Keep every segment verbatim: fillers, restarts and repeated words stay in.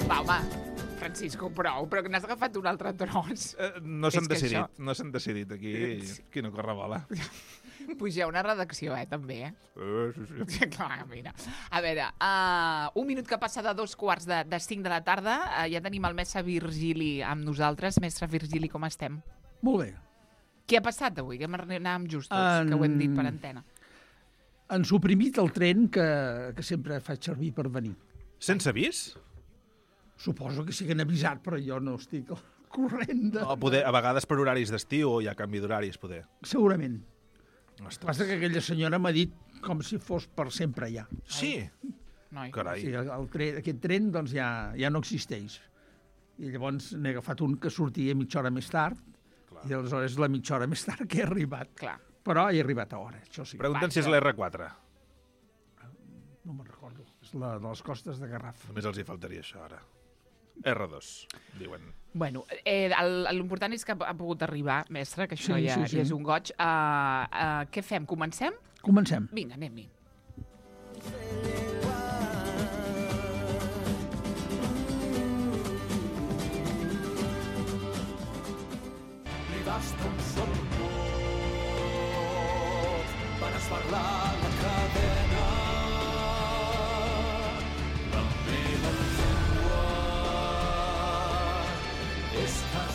Va, home, Francisco, prou, però que n'has agafat un altre tros. Uh, no s'han decidit, això... no s'han decidit aquí. Qui no corre bola. Puja una redacció, eh, també, eh? Uh, sí, sí. Clar, mira. A veure, uh, un minut que passa de dos quarts de, de cinc de la tarda, uh, ja tenim el mestre Virgili amb nosaltres. Mestre Virgili, com estem? Molt bé. Què ha passat avui? Que anàvem justos, En... que ho hem dit per antena. Han suprimit el tren que, que sempre faig servir per venir. Sense avís? Suposo que sí que han avisat, però jo no estic al corrent de... O poder, a vegades per horaris d'estiu o hi ha canvi d'horaris, poder. Segurament. Ostres. Passa que aquella senyora m'ha dit com si fos per sempre ja. Sí? Noi. Carai. Sí, el, el tren, aquest tren doncs, ja, ja no existeix. I llavors n'he agafat un que sortia mitja hora més tard, clar. I aleshores la mitja hora més tard que he arribat. Clar. Però he arribat a hora, això sí. Pregunten si és l'R quatre. No me'n recordo. És la de les costes de Garraf. Només els hi faltaria això, ara. R dos, diuen. Bueno, eh, l'important és que ha pogut arribar, mestre, que això Sí, ja, sí, sí. ja és un goig. Uh, uh, què fem? Comencem? Comencem. Vinga, anem-hi. Li basta un sol vot per esbarlar la cadena.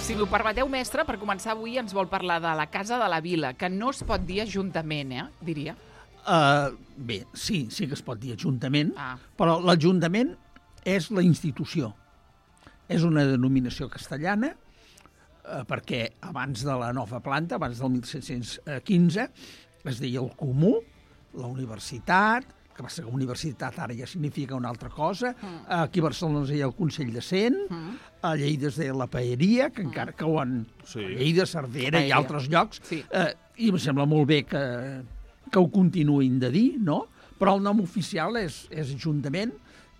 Si m'ho permeteu, mestre, per començar avui ens vol parlar de la Casa de la Vila, que no es pot dir ajuntament, eh, diria. Uh, bé, sí, sí que es pot dir ajuntament, Ah. però l'Ajuntament és la institució. És una denominació castellana, uh, perquè abans de la nova planta, abans del mil set-cents quinze, es deia el Comú, la Universitat, que passa que Universitat ara ja significa una altra cosa, mm. aquí a Barcelona es deia el Consell de Cent, mm. a Lleida es deia la Paeria, que mm. encara que ho han... Sí. Lleida, Cervera Paeria. i altres llocs, Sí. eh, i em sembla molt bé que, que ho continuïn de dir, no? Però el nom oficial és, és Ajuntament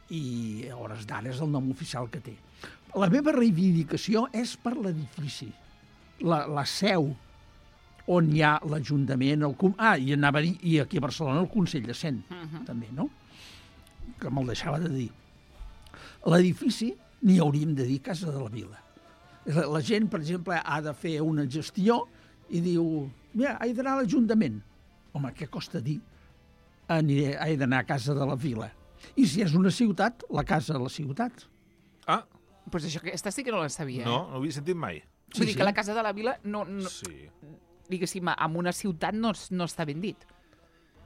i a hores d'ara és el nom oficial que té. La meva reivindicació és per l'edifici, la, la seu on hi ha l'Ajuntament, el com... ah, i anava a dir, i aquí a Barcelona el Consell de Cent, uh -huh. també, no? Que me'l deixava de dir. L'edifici n'hi hauríem de dir Casa de la Vila. La, la gent, per exemple, ha de fer una gestió i diu, mira, he d'anar a l'Ajuntament. Home, què costa dir? Aniré, he d'anar a Casa de la Vila. I si és una ciutat, la Casa de la Ciutat. Ah, Doncs pues això, aquesta sí que no la sabia. no, no ho havia sentit mai. Vull Sí, dir sí. que la Casa de la Vila, no, no, Sí. diguéssim, en una ciutat no, no està ben dit.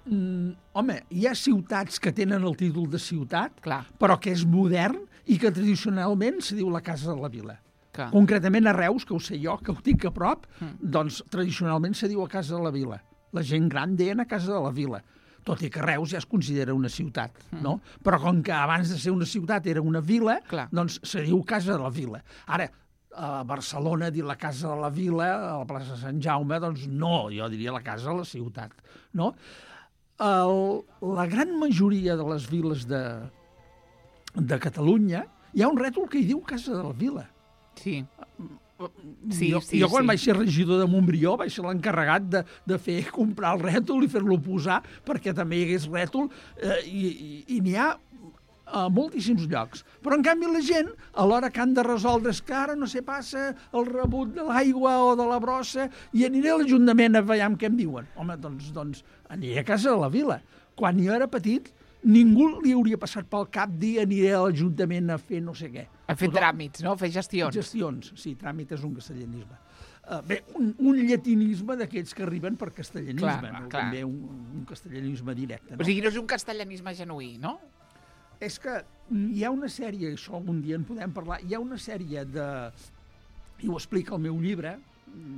Mm, home, hi ha ciutats que tenen el títol de ciutat, Clar. però que és modern i que tradicionalment se diu la Casa de la Vila. Clar. Concretament a Reus, que ho sé jo, que ho tinc a prop, Mm. doncs tradicionalment se diu a Casa de la Vila. La gent gran deien a Casa de la Vila, tot i que Reus ja es considera una ciutat, Mm. no? Però com que abans de ser una ciutat era una vila, Clar. doncs se diu Casa de la Vila. Ara, a Barcelona dir la Casa de la Vila, a la plaça de Sant Jaume, doncs no, jo diria la Casa de la Ciutat, no? El, la gran majoria de les viles de, de Catalunya hi ha un rètol que hi diu Casa de la Vila. Sí. Sí, jo, sí, jo quan sí. vaig ser regidor de Montbrió vaig ser l'encarregat de, de fer comprar el rètol i fer-lo posar perquè també hi hagués rètol eh, i, i, i n'hi ha a moltíssims llocs. Però, en canvi, la gent, a l'hora que han de resoldre és que ara no sé, passa el rebut de l'aigua o de la brossa i aniré a l'Ajuntament a veure què em diuen. Home, doncs, doncs aniré a Casa de la Vila. Quan jo era petit, ningú li hauria passat pel cap dir aniré a l'Ajuntament a fer no sé què. A fer Tothom- tràmits, no? A fer gestions. Gestions, sí, tràmit és un castellanisme. Uh, bé, un, un llatinisme d'aquests que arriben per castellanisme, Clar, no? clar. També un, un castellanisme directe. No? O sigui, no és un castellanisme genuí, no? És que hi ha una sèrie, això un dia en podem parlar, hi ha una sèrie de... i ho explica el meu llibre,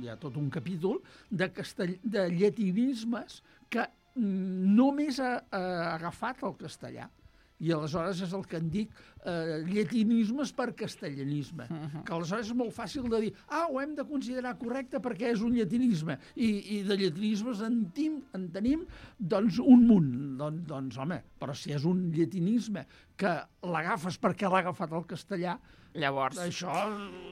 hi ha tot un capítol, de, castell... de llatinismes que només ha, ha agafat el castellà. I aleshores és el que en dic eh, llatinismes per castellanisme. Uh -huh. Que aleshores és molt fàcil de dir ah, ho hem de considerar correcte perquè és un llatinisme. I, i de llatinismes en, tim, en tenim doncs un munt. Don, doncs, home, però si és un llatinisme que l'agafes perquè l'ha agafat el castellà, Llavors... això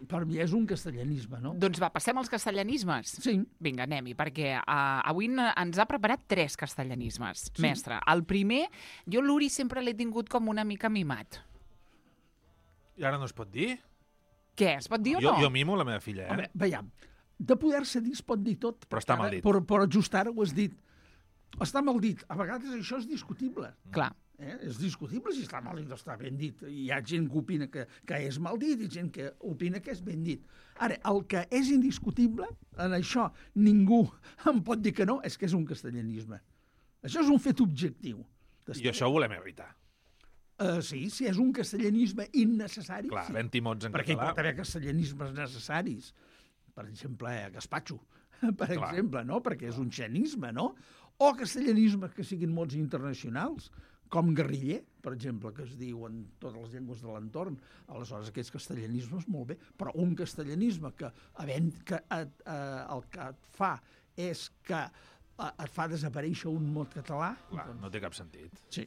per mi és un castellanisme, no? Doncs va, passem als castellanismes. Sí. Vinga, anem-hi, perquè uh, avui ens ha preparat tres castellanismes, Sí. mestre. El primer, jo l'Uri sempre l'he tingut com una mica mimat. I ara no es pot dir? Què, es pot dir o Jo, no? jo mimo la meva filla, eh? Home, veiem, de poder-se dir es pot dir tot. Però està Ara- mal dit. Però, però just ara ho has dit. Està mal dit. A vegades això és discutible. Clar. Eh? És discutible si està mal dit o està ben dit. Hi ha gent que opina que, que és mal dit i gent que opina que és ben dit. Ara, el que és indiscutible, en això ningú em pot dir que no, és que és un castellanisme. Això és un fet objectiu. I això ho volem evitar. Uh, sí, si és un castellanisme innecessari, Clar, sí. havent-hi mots en Perquè hi català. pot haver castellanismes necessaris. Per exemple, eh, gazpacho, per Clar. exemple, no? Perquè és un xenisme, no? O castellanismes que siguin mots internacionals, com guerriller, per exemple, que es diu en totes les llengües de l'entorn. Aleshores, aquests castellanismes, molt bé, però un castellanisme que, havent, que et, eh, el que et fa és que eh, et fa desaparèixer un mot català, Clar, doncs, no té cap sentit. sí,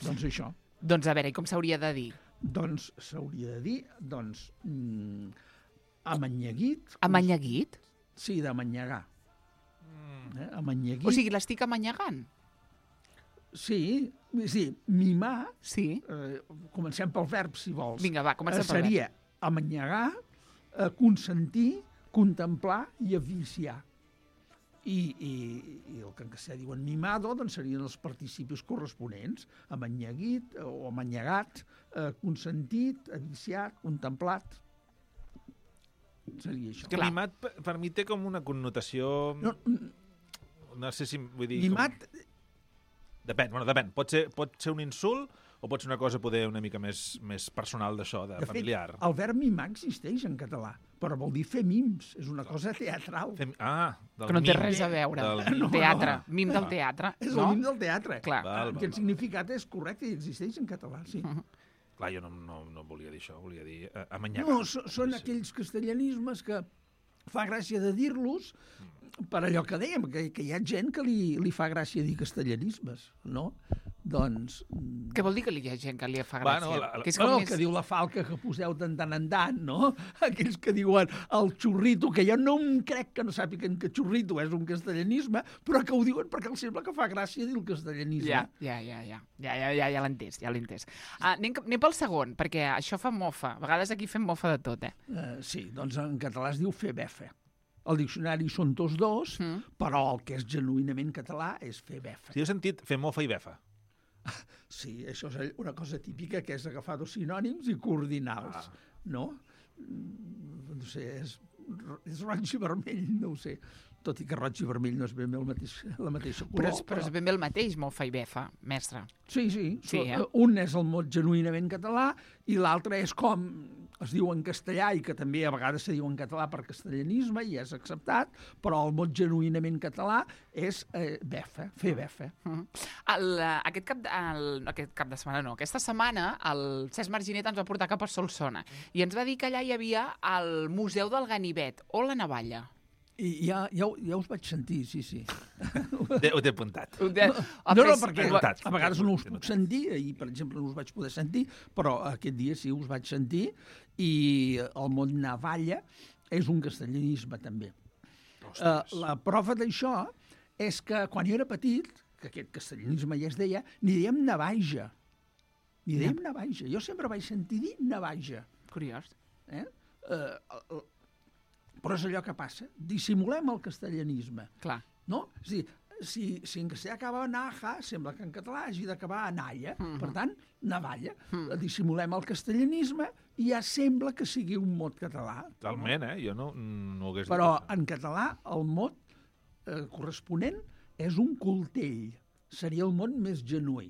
doncs això. Doncs a veure, i com s'hauria de dir? Doncs s'hauria de dir, doncs, mm, amanyeguit. Amanyeguit? Sí, d'amanyegar. Eh? Amanyeguit. O sigui, l'estic amanyegant? Sí, sí, mimar, Sí. eh, comencem pel verb, si vols. Vinga, va, comencem Eh, pel verb. Seria amanyegar, eh, consentir, contemplar i aviciar. I, i, i el que en castellà diuen mimado, doncs serien els participis corresponents. Amanyeguit eh, o amanyegat, eh, consentit, aviciat, contemplat. Seria això. És que Clar. mimat, per, per mi, té com una connotació... No, No sé si... Vull dir, mimat, Com... Depèn, bueno, depèn. Pot ser, pot ser un insult o pot ser una cosa poder una mica més, més personal d'això, de, de familiar. fet, el verb mimar existeix en català, però vol dir fer mims, és una cosa teatral. Fem... Ah, del Que no té mim. res a veure. Del No, mim. teatre. no. Mim del teatre. És no? el mim del teatre. Clar. Val, val, Aquest val. significat és correcte i existeix en català, sí. Clar, jo no, no, no volia dir això, volia dir eh, amanyagar. No, so, són aquells castellanismes que fa gràcia de dir-los per allò que dèiem, que, que hi ha gent que li, li fa gràcia dir castellanismes, no? Doncs... mm, Què vol dir que hi ha gent que li fa Bueno, gràcia? la- la- Que és com Bueno, el més... que diu la falca que poseu de tant en tant, no? Aquells que diuen el xurrito, que jo no em crec que no sàpiguen que xurrito és un castellanisme, però que ho diuen perquè els sembla que fa gràcia dir el castellanisme. Ja, ja, ja, ja, ja, ja, ja, ja l'he entès, ja l'he entès. Ah, anem, cap- anem pel segon, perquè això fa mofa. A vegades aquí fem mofa de tot, eh? Uh, sí, doncs en català es diu fer befa. El diccionari són tots dos, Mm. però el que és genuïnament català és fer befa. Si heu sentit fer mofa i befa. Sí, això és una cosa típica, que és agafar dos sinònims i coordinals, Ah. no? Mm, No sé, és, és roig i vermell, no ho sé. Tot i que roig i vermell no és ben bé el mateix, la mateixa color. Però, és, però és ben bé el mateix, mofa i befa, mestre. Sí, sí. Sí, So- eh? Un és el mot genuïnament català i l'altre és com es diu en castellà i que també a vegades se diu en català per castellanisme i és acceptat, però el mot genuïnament català és eh, befa, fer befa. Mhm. El, eh, aquest, cap de, el, no, aquest cap de setmana no, aquesta setmana el Cesc Marginet ens va portar cap a Solsona i ens va dir que allà hi havia el Museu del Ganivet o la Navalla. I ja, ja, ho- ja us vaig sentir, sí, sí. Té- Ho té apuntat. No, No, no, perquè notat. a vegades no us Té puc notat. sentir, ahir, per exemple, no us vaig poder sentir, però aquest dia sí us vaig sentir, i el mot navalla és un castellanisme, també. Uh, la prova d'això és que quan jo era petit, que aquest castellanisme ja es deia, n'hi dèiem navaja. N'hi dèiem navaja. Jo sempre vaig sentir dir navaja. Curiós. Eh? Uh, però és allò que passa. Dissimulem el castellanisme. Clar. No? És a dir, si, si en castellà acaba en aja, sembla que en català hagi d'acabar en alla. Mhm. Per tant, navalla. Dissimulem el castellanisme i ja sembla que sigui un mot català. Totalment, eh? Jo no, no ho hagués dit. Però això. en català el mot eh, corresponent és un coltell. Seria el mot més genuí.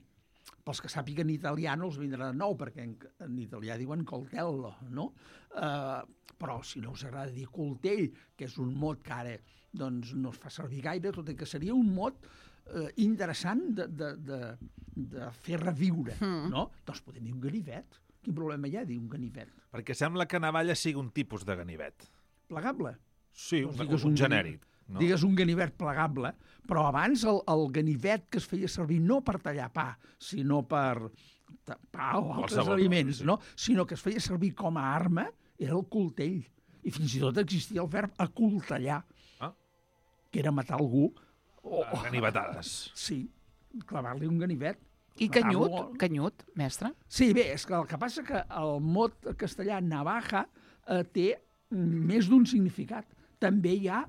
Pels que sàpiguen italià no els vindrà de nou, perquè en, en italià diuen coltello, no? Uh, però si no us agrada dir coltell, que és un mot que ara doncs, no es fa servir gaire, tot i que seria un mot uh, interessant de, de, de, de fer reviure, Mm. no? Doncs podem dir un ganivet. Quin problema hi ha dir un ganivet? Perquè sembla que navalla sigui un tipus de ganivet. Plegable. Sí, Doncs un, digues un, un genèric. No? Digues un ganivet plegable, però abans el, el ganivet que es feia servir no per tallar pa, sinó per ta- pa o altres Qualsevol aliments, cosa, sí. no? Sinó que es feia servir com a arma, era el coltell. I fins i tot existia el verb acoltellar, Ah. que era matar algú. O, Ah, Ganivetades. sí, clavar-li un ganivet. I canyut, canyut, mestre? Sí, bé, és que el que passa que el mot castellà navaja eh, té més d'un significat. També hi ha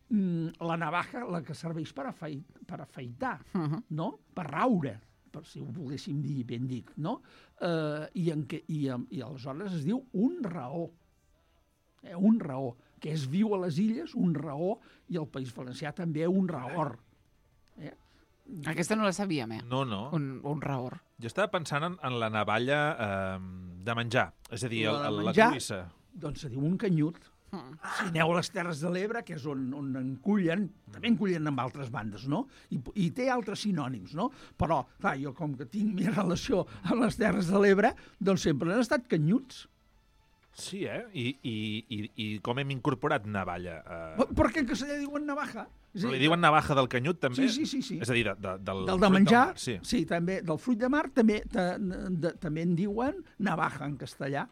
mm, la navaja, la que serveix per, afeit, per afeitar, uh -huh. no? Per raure, per si ho volguéssim dir ben dit, no? Eh, i, en que, i, I aleshores es diu un raó. Eh, un raó, que és viu a les illes, un raó, i al País Valencià també un raor. Eh? Aquesta no la sabíem, eh? No, no. Un, un raor. Jo estava pensant en, en la navalla eh, de menjar, és a dir, el, La de el, la menjar? cloïssa. Doncs se diu un canyut. Mm. Si aneu a les Terres de l'Ebre, que és on, on en cullen, també en cullen amb altres bandes, no? I, I té altres sinònims, no? Però, clar, jo com que tinc més relació amb les Terres de l'Ebre, doncs sempre han estat canyuts. Sí, eh? I, i, i, i com hem incorporat navalla? Eh... Perquè en castellà diuen navaja. Però li diuen navaja del canyut, també? Sí, sí, sí. sí. És a dir, de, de, del, del de menjar, del mar, sí. sí, també. Del fruit de mar també, de, de, també en diuen navaja en castellà.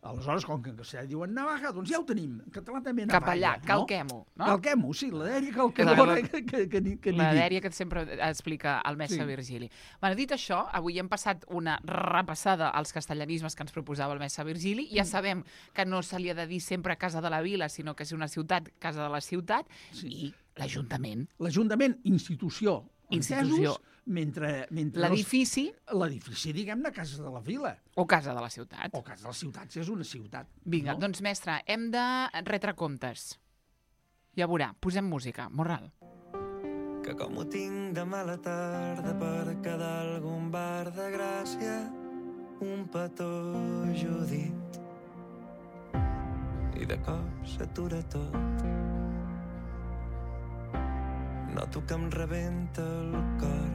Aleshores, com que en castellà diuen navaja, doncs ja ho tenim. En català també navalla. Cap allà, calquem-ho. No? Calquem-ho, sí, la dèria calquem La- que, que, que, que, que La n'hi dic. dèria que sempre explica el mestre Sí. Virgili. Bueno, dit això, avui hem passat una repassada als castellanismes que ens proposava el mestre Virgili. Ja sabem que no se li ha de dir sempre Casa de la Vila, sinó que és una ciutat, Casa de la Ciutat, Sí. i l'Ajuntament. L'Ajuntament, institució, Institució. entesos, mentre, mentre L'edifici els- l'edifici, diguem-ne, Casa de la Vila, o Casa de la Ciutat. o Casa de les Ciutats és una ciutat. Vinga, no? doncs, mestre, hem de retre comptes. Ja veurà, posem música. Morral. Que com ho tinc de mala tarda per quedar algun bar de Gràcia, un petó Judit, i de cop s'atura tot. Noto que em rebenta el cor.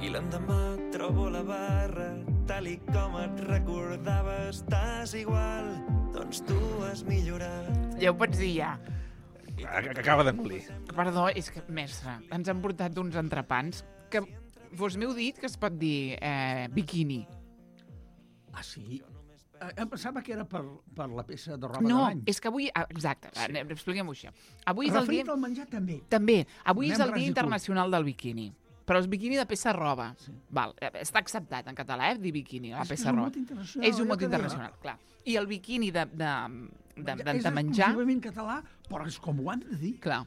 I l'endemà trobo la barra, tal i com et recordava, estàs igual, doncs tu has millorat. Ja ho pots dir, ja. Que que acaba d'engolir. Perdó, és que, mestre, ens han portat uns entrepans que vos m'heu dit que es pot dir eh, biquini. Ah, sí? Eh, Em pensava que era per, per la peça de roba No, de bany. és que avui... ah, Exacte, sí. Expliquem-ho això. Avui és el Referit dia... al menjar, també. També, avui Anem és el ras i Dia curt. Internacional del Biquini. Però és biquini de peça roba. Sí. Val, eh, està acceptat en català, eh, dir biquini, la És que peça és un roba. mot internacional, És un allò mot que deia. internacional, clar. I el biquini de, de, de, de, és de menjar... exclusivament català, però és com ho han de dir. Clar.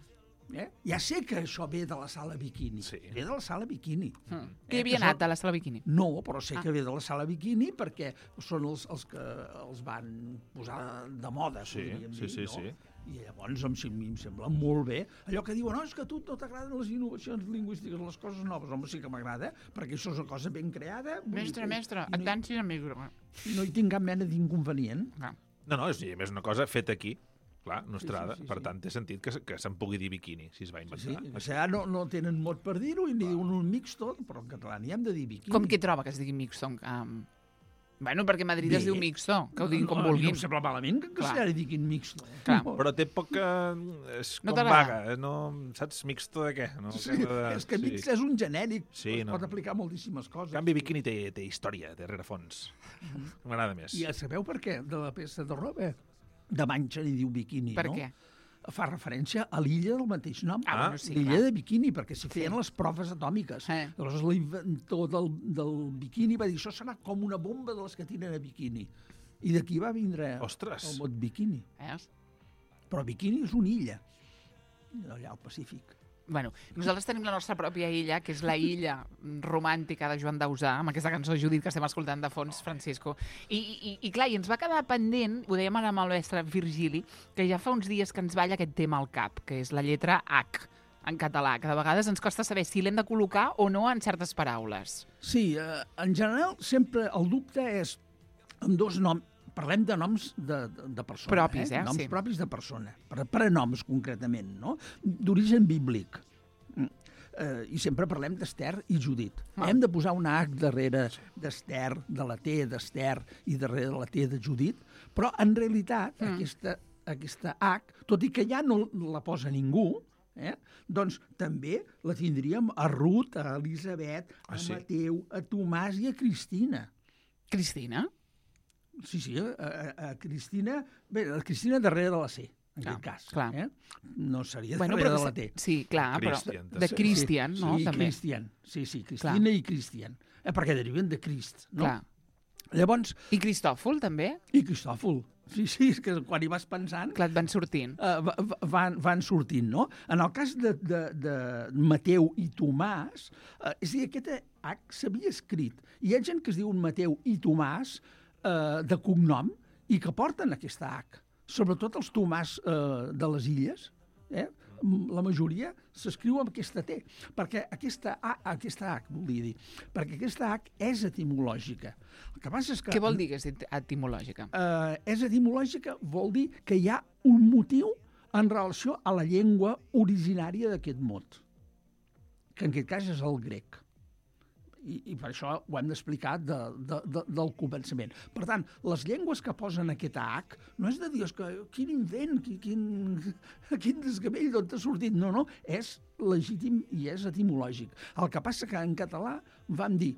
Eh? Ja sé que això ve de la sala bikini. Sí. Ve de la sala bikini. Mm. Eh, Que hi havia que anat són- a la sala biquini? No, però sé Ah. que ve de la sala bikini perquè són els, els que els van posar de moda, Sí, podríem sí, dir, sí, no? sí. I llavors em, sem- em sembla molt bé. Allò que diuen, no, és que a tu no t'agraden les innovacions lingüístiques, les coses noves. Home, sí que m'agrada, perquè això és una cosa ben creada. vull dir Mestre, que- mestre, i no, hi- atanci el micro. no hi tinc cap mena d'inconvenient. Clar. No, no, és, a més una cosa feta aquí, clar, nostrada. sí, sí, Per sí. tant, té sentit que, se- que se'n pugui dir biquini, si es va Sí, inventar. o sigui, no, no tenen mot per dir-ho i ni diuen un mixto, però en català n'hi hem de dir bikini. Com que troba que es digui mixto? Um... Bueno, perquè a Madrid Bé. es diu mixto, que ho diguin com no, vulguin. No em sembla malament que en Clar. castellà li diguin mixto. Clar. No. Però té poca... És No com t'agrada? vaga, eh? no, saps, mixto de què? No, Sí, Acaba de- és que sí. mix és un genèric, Sí, es no. pot aplicar moltíssimes En coses. canvi, biquini té, té història, té rerefons. M'agrada més. I ja sabeu per què de la peça de roba? De bany se n'hi diu biquini, Per no? què? Fa referència a l'illa del mateix nom. Ah, bueno, sí, l'illa clar. de Bikini, perquè s'hi feien les proves atòmiques. Eh. Llavors l'inventor del, del bikini va dir això serà com una bomba de les que tiren a bikini. I d'aquí va vindre Ostres. el mot bikini. Veus? Però bikini és una illa, allà al Pacífic. Bueno, nosaltres tenim la nostra pròpia illa, que és la illa romàntica de Joan Dausà, amb aquesta cançó Judit que estem escoltant de fons, Francisco. I, i, i clar, i ens va quedar pendent, ho dèiem ara amb el mestre Virgili, que ja fa uns dies que ens balla aquest tema al cap, que és la lletra H en català, que de vegades ens costa saber si l'hem de col·locar o no en certes paraules. Sí, eh, en general sempre el dubte és amb dos noms. Parlem de noms de, de, de persona. Propis, eh? Noms Sí. propis de persona. Per, prenoms, concretament, no? D'origen bíblic. Mm. Eh, I sempre parlem d'Ester i Judit. Ah. Hem de posar una H darrere d'Ester, de la T d'Ester i darrere de la T de Judit, però en realitat Mm. aquesta, aquesta H, tot i que ja no la posa ningú, eh? doncs també la tindríem a Ruth, a Elisabet, a Ah, sí? Mateu, a Tomàs i a Cristina. Cristina? Sí, sí, a, a, a Cristina... Bé, la Cristina darrere de la C. en Clar, aquest cas. clar. Eh? No seria Bueno, darrere però de la que T. se- Sí, clar, però Christian, de sí. Christian, no? Sí, També. Christian. Sí, sí, Cristina i Christian. Eh, perquè deriven de Crist, no? Clar. Llavors, I Cristòfol, també? i Cristòfol. Sí, sí, és que quan hi vas pensant, Clar, et van sortint. eh, va- va- van, van sortint, no? En el cas de, de, de Mateu i Tomàs, eh, és a dir, aquest H s'havia escrit. Hi ha gent que es diu Mateu i Tomàs eh, de cognom i que porten aquesta H. Sobretot els Tomàs eh, de les illes, eh? La majoria s'escriu amb aquesta T, perquè aquesta A, aquesta H, volia dir, perquè aquesta H és etimològica. El que passa és que... Què vol dir que és etimològica? Eh, és etimològica, vol dir que hi ha un motiu en relació a la llengua originària d'aquest mot, que en aquest cas és el grec. I, i per això ho hem d'explicar de, de, de, del començament. Per tant, les llengües que posen aquesta H no és de dir, que quin invent, quin, quin, quin desgavell, d'on t'ha sortit. No, no, és legítim i és etimològic. El que passa que en català vam dir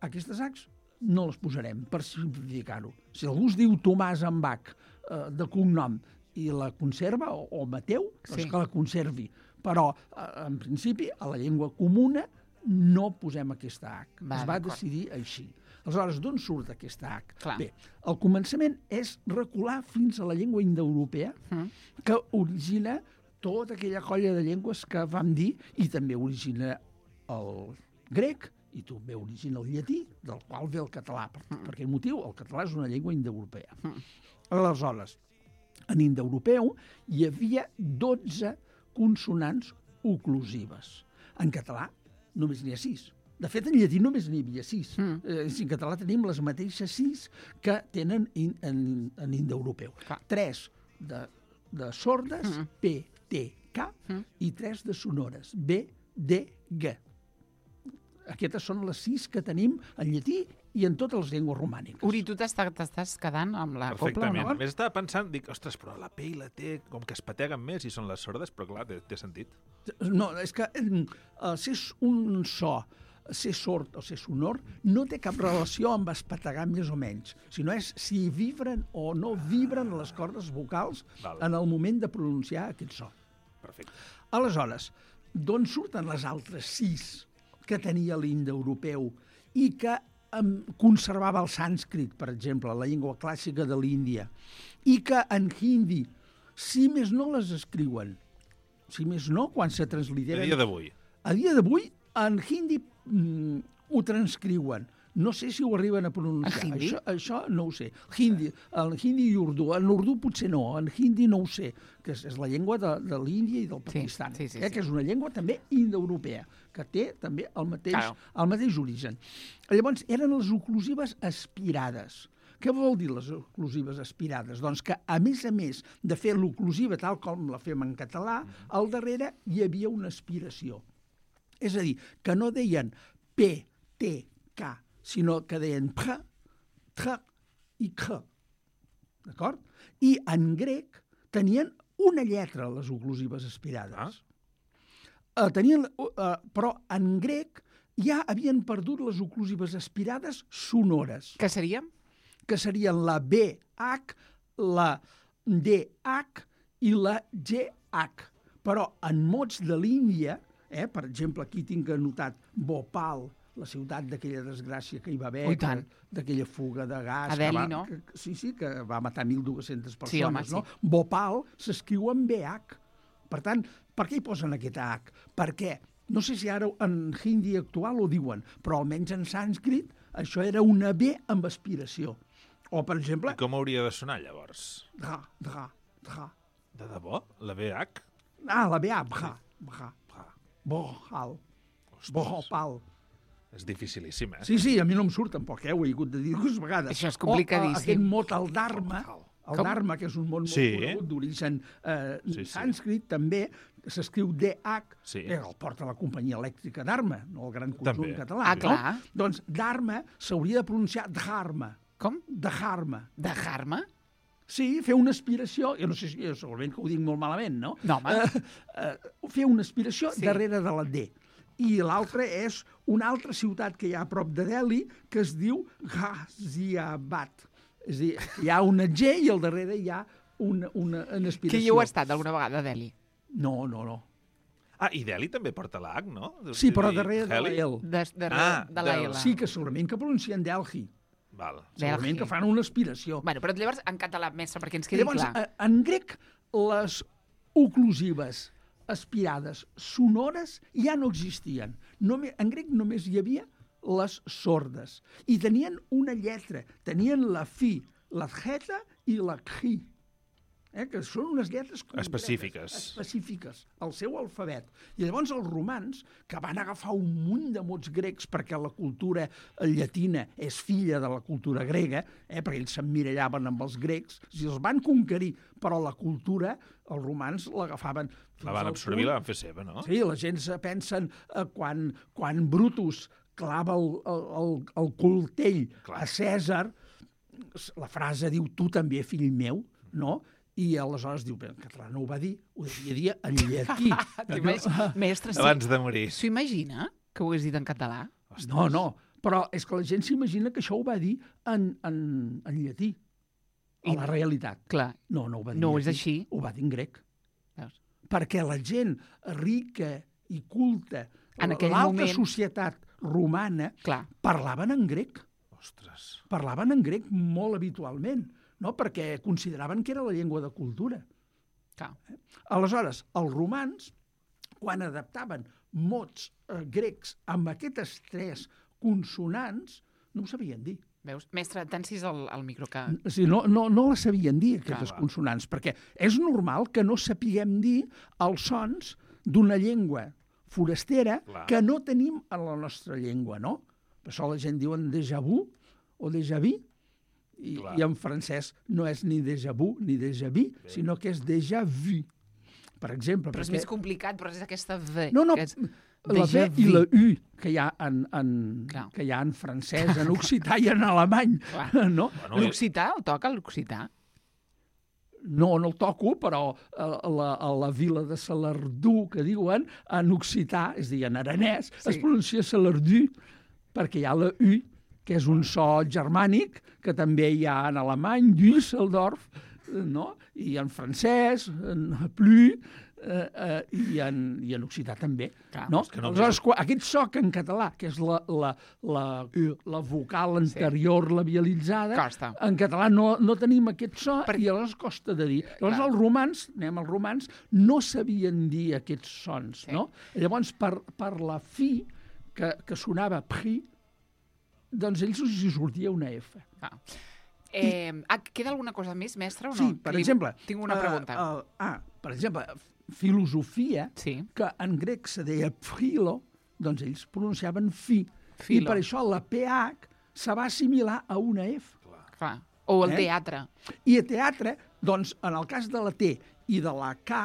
aquestes Hs no les posarem, per simplificar-ho. Si algú es diu Tomàs amb H eh, de cognom i la conserva, o, o Mateu, sí, doncs que la conservi. Però, eh, en principi, a la llengua comuna no posem aquesta H. Va, es va d'acord. decidir així. Aleshores, d'on surt aquesta H? Clar. Bé, el començament és recular fins a la llengua indoeuropea, Mm. que origina tota aquella colla de llengües que vam dir, i també origina el grec, i també origina el llatí, del qual ve el català. Per, Mm. per aquest motiu, el català és una llengua indoeuropea. Aleshores, en indoeuropeu hi havia dotze consonants oclusives. En català només n'hi ha sis. De fet, en llatí només n'hi havia sis. Mm. Eh, en català tenim les mateixes sis que tenen in, en, en indoeuropeu. Clar. Tres de, de sordes, Mm. P, T, K, Mm. i tres de sonores, B, D, G. Aquestes són les sis que tenim en llatí i en totes les llengües romàniques. Uri, tu t'està- t'estàs quedant amb la copla o Perfectament. no? Més estava pensant, dic, ostres, però la P i la T com que es pateguen més i són les sordes, però clar, té, té sentit. No, és que eh, ser un so, ser sord o ser sonor, no té cap relació amb espategar més o menys, sinó és si vibren o no vibren les cordes vocals Val. en el moment de pronunciar aquest so. Perfecte. Aleshores, d'on surten les altres sis que tenia l'indoeuropeu i que em, conservava el sànscrit, per exemple, la llengua clàssica de l'Índia, i que en hindi, si més no les escriuen, si més no, quan se A transliteren... dia d'avui. A dia d'avui, en hindi mm, ho transcriuen. No sé si ho arriben a pronunciar. En hindi? Això, això no ho sé. Hindi, el hindi i urdu. En urdu potser no, en hindi no ho sé, que és, és la llengua de, de l'Índia i del Pakistan, sí, sí, eh, sí. que és una llengua també indoeuropea, que té també el mateix, Claro. el mateix origen. Llavors, eren les oclusives aspirades. Què vol dir les oclusives aspirades? Doncs que, a més a més de fer l'oclusiva tal com la fem en català, al darrere hi havia una aspiració. És a dir, que no deien P, T, K, sinó que deien P, T i K. D'acord? I en grec tenien una lletra, les oclusives aspirades. Ah. Uh, tenien, uh, però en grec ja havien perdut les oclusives aspirades sonores, Què seria? que serien la B H, la D H i la G H. Però en mots de l'Índia, eh, per exemple, aquí tinc anotat Bhopal, la ciutat d'aquella desgràcia que hi va haver, Oh, i tant. d'aquella fuga de gas... A que Delhi, va, no? Que, sí, sí, que va matar mil dues-centes persones, Sí, home, sí. no? Bhopal s'escriu amb B H. Per tant, per què hi posen aquesta H? Perquè, no sé si ara en hindi actual ho diuen, però almenys en sànscrit això era una B amb aspiració. O, per exemple, I com hauria de sonar, llavors? dra, dra, dra. De debò? La B H? Ah, la B A, bha, bha, bohal, bohopal. És dificilíssim, eh? Sí, sí, a mi no em surt tampoc, eh? Ho he hagut de dir dues vegades. Això és O, complicadíssim. O, aquest mot, el dharma, el Com? dharma, que és un mot molt Sí. conegut d'origen eh, Sí, sí. sànscrit, també, s'escriu D H, Sí. que el porta la companyia elèctrica Dharma, no el gran conjunt També. català. Ah, no? clar. Doncs Dharma s'hauria de pronunciar Dharma. Com? Dharma. Dejar-me? Sí, fer una aspiració, jo no sé si, jo segurament que ho dic molt malament, no? No, home. Eh, eh, fer una aspiració Sí. sí. darrere de la D. I l'altra és una altra ciutat que hi ha a prop de Delhi que es diu Ghaziabad. És a dir, hi ha una G i al darrere hi ha una, una, una aspiració. Que hi heu estat alguna vegada, a Delhi? No, no, no. Ah, i Delhi també porta l'H, no? Sí, però I darrere de Heli? la L. De, de, Ah, de la del- L. Sí, que segurament que pronuncien Delhi. Val. Segurament Delhi. que fan una aspiració. Bueno, però llavors en català, mestre, perquè ens quedi Llavors, clar. eh, en grec, les oclusives aspirades sonores ja no existien. Només, en grec només hi havia les sordes. I tenien una lletra. Tenien la fi, la theta i la khi. Eh, que són unes lletres concretes, Específiques. específiques, el seu alfabet. I llavors els romans, que van agafar un munt de mots grecs perquè la cultura llatina és filla de la cultura grega, eh, perquè ells s'emmirallaven amb els grecs, si els van conquerir, però la cultura, els romans l'agafaven fins La van al absorbir i punt- la van fer seva, no? Sí, la gent se pensen eh, quan, quan Brutus clava el, el, el, el coltell Clar. a Cèsar, la frase diu tu també, fill meu, no? I aleshores diu, bé, en català no ho va dir, ho devia dir en llatí. T'imagines? Mestre, sí. Abans de morir. S'ho imagina, que ho hagués dit en català? No, no, però és que la gent s'imagina que això ho va dir en, en, en llatí, a I- la realitat. Clar. No, no ho va dir No en és llatí, així. ho va dir en grec. Veus? Perquè la gent rica i culta, En aquell l'alta moment- societat romana, Clar. parlaven en grec. Ostres. Parlaven en grec molt habitualment, no? Perquè consideraven que era la llengua de cultura. Clar. Aleshores, els romans, quan adaptaven mots eh, grecs amb aquestes tres consonants, no ho sabien dir. Veus? Mestre, t'encis el, el micro que... O sigui, no, no, no les sabien dir, aquestes Clar. consonants, perquè és normal que no sapiguem dir els sons d'una llengua forastera Clar. que no tenim en la nostra llengua, no? Per això la gent diuen déjà vu o déjà vu, i, Clar. i en francès no és ni déjà vu ni déjà vu, sinó que és déjà vu. Per exemple, Però és perquè... més complicat, però és aquesta V. No, no, que és la déjà V i vu. la U que hi ha en, en, Clar. que hi ha en francès, en occità i en alemany, Clar. no? Bueno, L'occità, el toca l'occità? No, no el toco, però a, a, la, a la vila de Salardú, que diuen, en occità, és a dir, en aranès, Sí. sí. es pronuncia Salardú, perquè hi ha la U, que és un so germànic, que també hi ha en alemany, Düsseldorf, eh, no? I en francès, en Plu, eh, eh, i, en, i en occità també. Clar, no? és que no- Aleshores, quan, aquest so que en català, que és la, la, la, la vocal anterior labialitzada, Costa. en català no, no tenim aquest so Per- i aleshores costa de dir. Llavors clar. els romans, anem als romans, no sabien dir aquests sons, Sí. no? Llavors, per, per la fi, que, que sonava pri, doncs ells els hi sortia una F. Ah. Eh, ah, queda alguna cosa més, mestre, o no? Sí, per Que li- exemple... Tinc una eh, pregunta. eh, ah, per exemple, filosofia, Sí. que en grec se deia philo, doncs ells pronunciaven fi. Philo. I per això la pH se va assimilar a una F. Clar. O el Eh? teatre. I a teatre, doncs, en el cas de la T i de la K,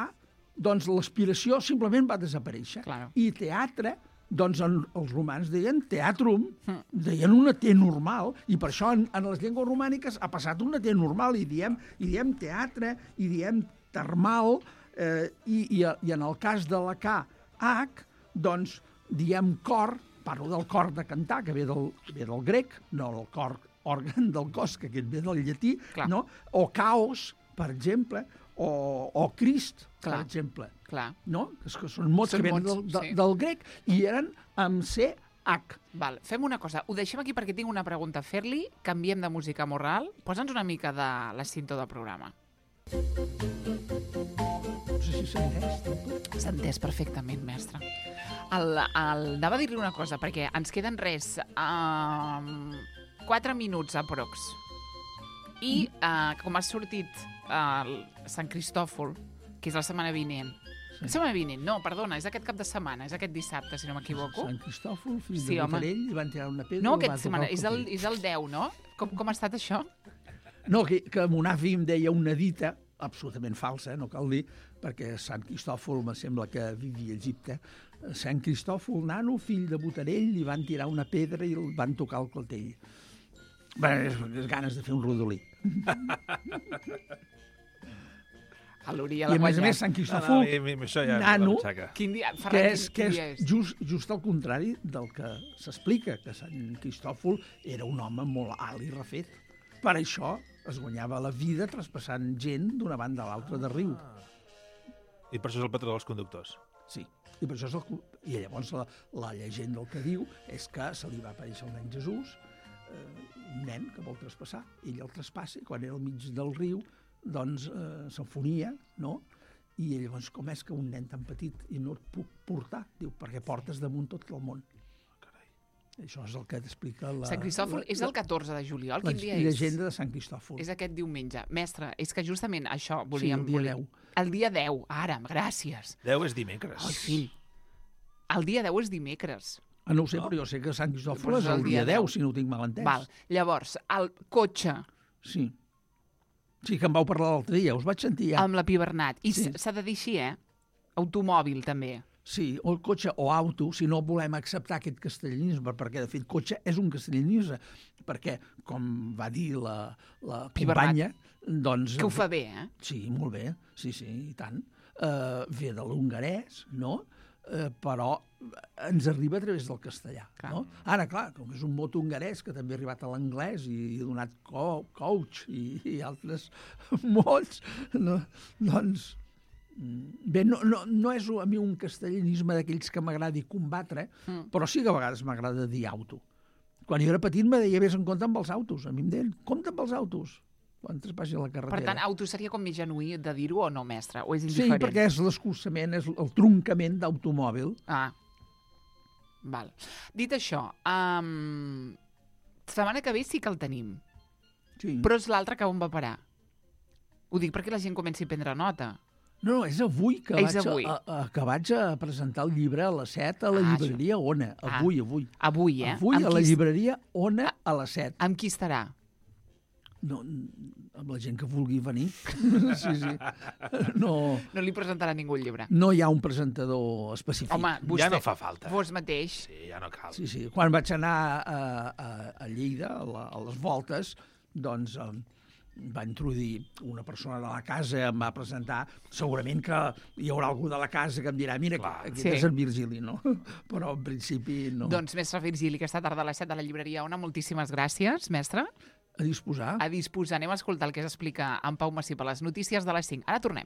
doncs l'aspiració simplement va desaparèixer. Claro. I teatre, doncs en, els romans deien teatrum, Hm. deien una T normal, i per això en, en les llengües romàniques ha passat una T normal, i diem, i diem teatre, i diem termal, eh, i, i, i en el cas de la K, H, doncs diem cor, parlo del cor de cantar, que ve del, ve del grec, no del cor, òrgan del cos, que aquest ve del llatí, Clar. no? O caos, per exemple, o, o Crist, per Clar. exemple. Clar. No? És que són mots Són que venen mots, del, de, sí. del grec i eren amb C H. Val, fem una cosa. Ho deixem aquí perquè tinc una pregunta a fer-li. Canviem de música moral. Posa'ns una mica de la cinta del programa. No sé si s'ha entès. tampoc. S'ha entès perfectament, mestre. El, el, anava a dir-li una cosa, perquè ens queden res, um, quatre minuts aprox. I uh, com ha sortit uh, Sant Cristòfol, que és la setmana vinent, Sí. la setmana vinent, no, perdona, és aquest cap de setmana, és aquest dissabte, si no m'equivoco. Sant Cristòfol, fill Sí, de home. Botarell, li van tirar una pedra No, i el va aquest setmana, tocar és el, clatell. és el deu, no? Com, com ha estat això? No, que, que mon avi em deia una dita, absolutament falsa, no cal dir, perquè Sant Cristòfol me sembla que vivia a Egipte. Sant Cristòfol, nano, fill de Botarell, li van tirar una pedra i el van tocar el clatell. Bé, és, és ganes de fer un rodolí. A l'Uri a I la a més a més, guanyat. Sant No, Cristòfol, no, mi, mi, això ja nano, m'aixaca. Quin dia, que Ferran, és, quin, que quin és dia és? just, just al contrari del que s'explica, que Sant Cristòfol era un home molt alt i refet. Per això es guanyava la vida traspassant gent d'una banda a l'altra del riu. I per això és el patró dels conductors. Sí, i per això és el... cu- I llavors la, la llegenda el que diu és que se li va aparèixer el nen Jesús, eh, un nen que vol traspassar, ell el traspassa, i quan era al mig del riu, doncs eh, s'enfonia, no? I llavors, com és que un nen tan petit i no et puc portar? Diu, perquè portes damunt tot el món. Això és el que t'explica la... Sant Cristòfol és el catorze de juliol. la Quin dia és? llegenda de Sant Cristòfol. És aquest diumenge. Mestre, és que justament això Sí, volíem... el dia volíem- deu. El dia deu, ara, gràcies. deu és dimecres. Ai, fill. El dia deu és dimecres. Ah, no ho sé, però jo sé que Sant Cristòfol Però és el dia deu, si no ho tinc mal entès. Val. Llavors, el cotxe Sí. Sí, que em vau parlar l'altre dia, us vaig sentir ja. amb la Pi Bernat. I Sí. s- s'ha de dir així, eh? Automòbil, també. Sí, o el cotxe o auto, si no volem acceptar aquest castellanisme, perquè, de fet, cotxe és un castellanisme, perquè, com va dir la, la Pi companya, doncs... Que ho fa bé, eh? Sí, molt bé, sí, sí, i tant. Uh, ve de l'hongarès, no? Uh, però ens arriba a través del castellà, Clar. no? Ara, clar, com és un mot hongarès que també ha arribat a l'anglès i ha donat co coach i, i altres mots, no? Doncs... Bé, no, no, no és a mi un castellanisme d'aquells que m'agradi combatre, mm. però sí que a vegades m'agrada dir auto. Quan jo era petit me deia, vés en compte amb els autos. A mi em deien, compte amb els autos, quan traspassi la carretera. Per tant, auto seria com més genuí de dir-ho o no, mestre? O és sí, indiferent? perquè és l'escurçament, és el troncament d'automòbil. Ah, val. Dit això, um, setmana que ve sí que el tenim, Sí. però és l'altre que on va parar. Ho dic perquè la gent comenci a prendre nota. No, no, és avui que, És vaig avui. A, a, que vaig a presentar el llibre a les set a la Ah, llibreria Ona. Ah. Avui, avui. Avui, eh? Avui Amb a la qui es- llibreria Ona a les set. Amb qui estarà? No, amb la gent que vulgui venir. Sí, sí. No, No li presentarà ningú el llibre. no hi ha un presentador específic. Home, vostè, Ja no fa falta. vos mateix, Sí, ja no cal. Sí, sí. Quan vaig anar a, a, a Lleida, a, la, a les voltes, doncs eh, va introduir una persona de la casa, em va presentar, segurament que hi haurà algú de la casa que em dirà, mira, Clar. aquest Sí. és el Virgili, no? Però en principi no. doncs, mestre Virgili, aquesta tarda a les set de la llibreria Ona, moltíssimes gràcies, mestre. A disposar. A disposar, anem a escoltar el que s'explica en Pau Massí per les notícies de les cinc. Ara tornem.